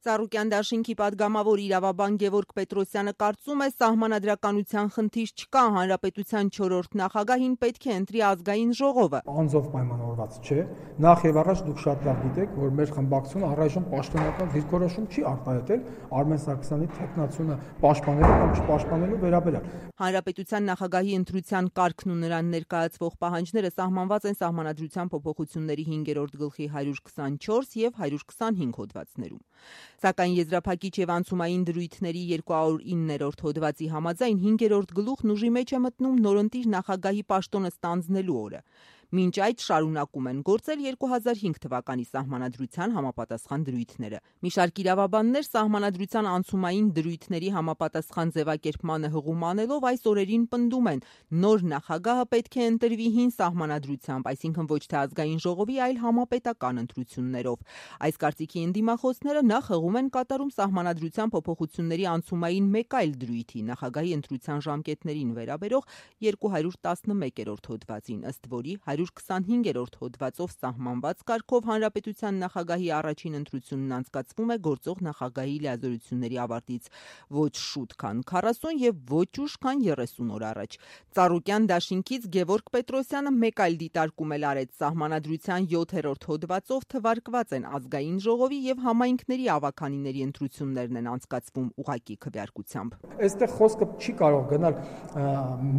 Ծառուկյան դաշինքի պատգամավոր իրավաբան Գևորգ Պետրոսյանը կարծում է, սահմանադրականության խնդիր չկա, հանրապետության 4-րդ նախագահին պետք է ընտրի ազգային ժողովը։ Անձով պայմանավորված չէ։ Նախ եւ առաջ դուք շատ լավ գիտեք, որ մեր խմբակցությունը առայժմ պաշտոնական դիրքորոշում չի արտահայտել Արմեն Սարգսյանի թեկնածությունը պաշտպանելու կամ չպաշտպանելու վերաբերյալ։ Հանրապետության նախագահի ընտրության կարգն ու նրան ներկայացվող պահանջները սահմանված են Սահմանադրության փոփոխությունների 5-րդ գլխի 124 եւ 125 հոդվածներում։ Սակայն եզրափակիչ եւ անցումային դրույթների 209-րդ հոդվածի համաձայն 5-րդ գլուխն ուժի մեջ է մտնում նորընտիր նախագահի պաշտոնը ստանձնելու օրը։ Մինչ այդ շարունակում են գործել 2005 թվականի սահմանադրության համապատասխան դրույթները։ Մի շարք իրավաբաններ սահմանադրության անցումային դրույթների համապատասխան ձևակերպմանը հղում անելով այս օրերին պնդում են, նոր նախագահը պետք է ընտրվի հին սահմանադրությամբ, այսինքն ոչ թե ազգային ժողովի, այլ համապետական ընտրություններով։ Այս կարծիքի ընդդիմախոսները նախ հղում են կատարում սահմանադրության փոփոխությունների անցումային մեկ այլ դրույթի նախագահի ընտրության ժամկետներին վերաբերող 211-րդ հոդվածին, ըստ որի 125-րդ հոդվածով սահմանված կարգով հանրապետության նախագահի առաջին ընտրությունն անցկացվում է գործող նախագահի լիազորությունների ավարտից ոչ շուտ, քան 40 եւ ոչ ուշ, քան 30 օր առաջ։ Ծառուկյան դաշինքից Գևորգ Պետրոսյանը մեկ այլ դիտարկում էլ արեց սահմանադրության 7-րդ հոդվածով թվարկված են ազգային ժողովի եւ համայնքների ավականիների ընտրություններն են անցկացվում ուղղակի քվեարկությամբ։ Այստեղ խոսքը չի կարող գնալ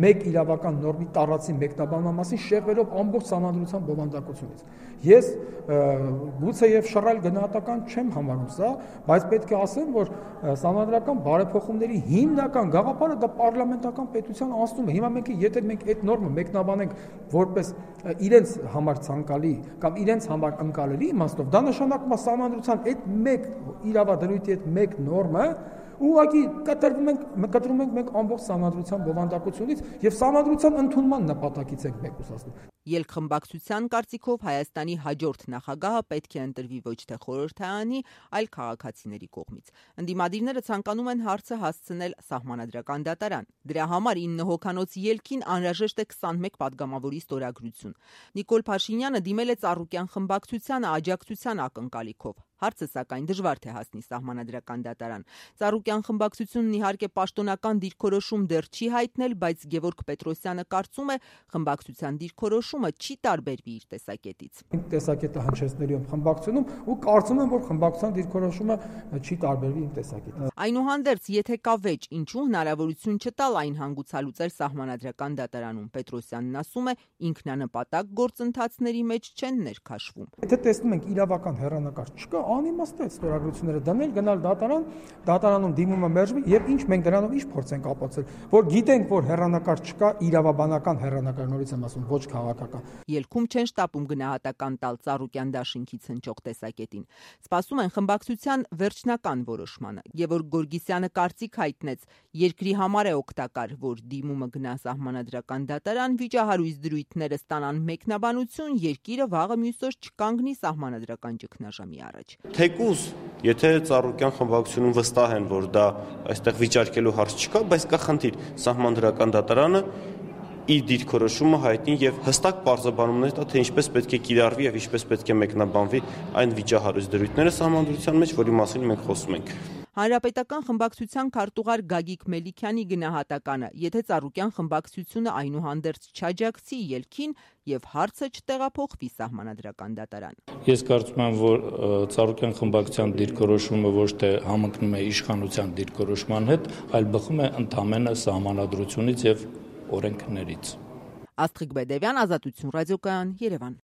մեկ իրավական նորմի տարածի մեկնաբանման մասին շեղվելով ամբողջ սահմանադրության բովանդակությունից։ Ես գուցե եւ շռայլ գնահատական չեմ համարում սա, բայց պետք է ասեմ, որ սահմանադրական բարեփոխումների հիմնական գաղափարը դա պարլամենտական պետության անցումն է։ Հիմա եթե մենք այդ նորմը մեկնաբանենք որպես իրենց համար ցանկալի կամ իրենց համար ընկալելի իմաստով, դա նշանակում է սահմանադրության այդ մեկ իրավադրույթի այդ մեկ նորմը ուղղակի կտրում ենք մենք ամբողջ սահմանադրության բովանդակությունից եւ սահմանադրության ընդունման նպատակից ենք մեկուսացնում։ Ելքխմբակցության կարծիքով Հայաստանի հաջորդ նախագահը պետք է ընտրվի ոչ թե խորհրդարանի, այլ քաղաքացիների կողմից։ Ընդդիմադիրները ցանկանում են հարցը հասցնել Սահմանադրական դատարան։ Դրա համար 9 հոգանոց ելքին անհրաժեշտ է 21 պատգամավորի ստորագրություն։ Նիկոլ Փաշինյանը դիմել է Ծառուկյան խմբակցությանը աջակցության ակնկալիքով։ Հարցը սակայն դժվար թե հասնի Սահմանադրական դատարան։ Ծառուկյան խմբակցությունն իհարկե պաշտոնական դիրքորոշում դեռ չի հայտնել, բայց Գևորգ Պետրոսյանը կարծում է, խմբակցության դիրքորոշումը չի տարբերվի իր տեսակետից։ Տեսակետը հնչեցնելու եմ խմբակցությունում ու կարծում եմ, որ խմբակցության դիրքորոշումը չի տարբերվի իմ տեսակետից։ Այնուհանդերձ, եթե կա վեճ, ինչու հնարավորություն չտալ այն հանգուցալուծել Սահմանադրական դատարանում։ Պետրոսյանն ասում է, ինքնանպատակ գործընթացների մեջ չեն ներքաշվում։ Եթե տեսնում ենք իրավական հեռանկար չկա, անիմաստ է ստորագրությունները դնել, գնալ դատարան, դատարանում դիմումը մերժվի եւ ինչ մենք դրանով ինչ փորձ ենք ապացուցել, որ գիտենք, որ հեռանկար չկա, իրավաբանական հեռանկար, նորից եմ ասում, ոչ քաղաքական։ Ելքում չեն շտապում գնահատական տալ Ծառուկյան դաշինքից հնչող տեսակետին։ Սպասում են խմբակցության վերջնական որոշմանը։ Գևորգ Գորգիսյանը կարծիք հայտնեց, երկրի համար է օգտակար, որ դիմումը գնա Սահմանադրական դատարան, վիճահարույց դրույթները ստանան մեկնաբանություն, երկիրը վաղը մյուս օր չկանգնի Սահմանադրական ճգնաժամի առաջ։ Թեկուզ, եթե Ծառուկյան խմբակցությունում վստահ են, որ դա այստեղ վիճարկելու հարց չկա, բայց կա խնդիր, Սահմանադրական դատարանը իր դիրքորոշումը հայտնի եւ հստակ պարզաբանումներ տա, թե ինչպես պետք է կիրառվի եւ ինչպես պետք է մեկնաբանվի այն վիճահարույց դրույթները Սահմանադրության մեջ, որի մասին մենք խոսում ենք։ Հանրապետական խմբակցության քարտուղար Գագիկ Մելիքյանի գնահատականը, եթե Ծառուկյան խմբակցությունը այնուհանդերձ չաջակցի ելքին եւ հարցը չտեղափոխվի Սահմանադրական դատարան։ Ես կարծում եմ, որ Ծառուկյան խմբակցության դիրքորոշումը ոչ թե համընկնում է իշխանության դիրքորոշման հետ, այլ բխում է ընդամենը Սահմանադրությունից եւ օրենքներից։ Աստղիկ Բեդևյան, Ազատություն ռադիոկայան, Երևան։